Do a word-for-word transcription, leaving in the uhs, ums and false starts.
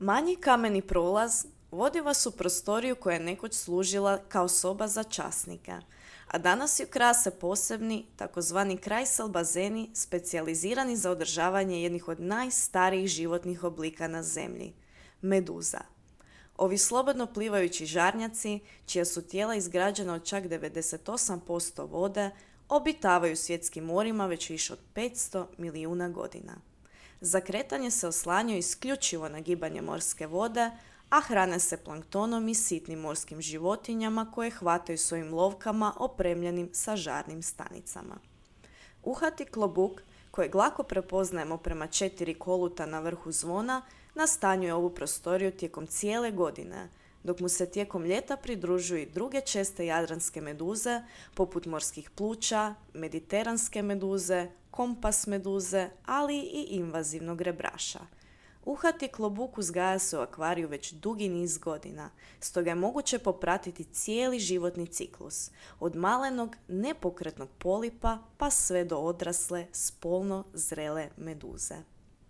Manji kameni prolaz vodi vas u prostoriju koja je nekoć služila kao soba za časnika, a danas ju krase posebni, takozvani Kreisel bazeni, specijalizirani za održavanje jednih od najstarijih životnih oblika na Zemlji – meduza. Ovi slobodno plivajući žarnjaci, čija su tijela izgrađena od čak devedeset osam posto vode, obitavaju svjetskim morima već više od petsto milijuna godina. Za kretanje se oslanjaju isključivo na gibanje morske vode, a hrane se planktonom i sitnim morskim životinjama koje hvataju svojim lovkama opremljenim sa žarnim stanicama. Uhati klobuk, kojeg lako prepoznajemo prema četiri koluta na vrhu zvona, nastanjuje ovu prostoriju tijekom cijele godine, dok mu se tijekom ljeta pridružuju i druge česte jadranske meduze, poput morskih pluća, mediteranske meduze, kompas meduze, ali i invazivnog rebraša. Uhati klobuk uzgaja se u akvariju već dugi niz godina, stoga je moguće popratiti cijeli životni ciklus, od malenog nepokretnog polipa pa sve do odrasle, spolno zrele meduze.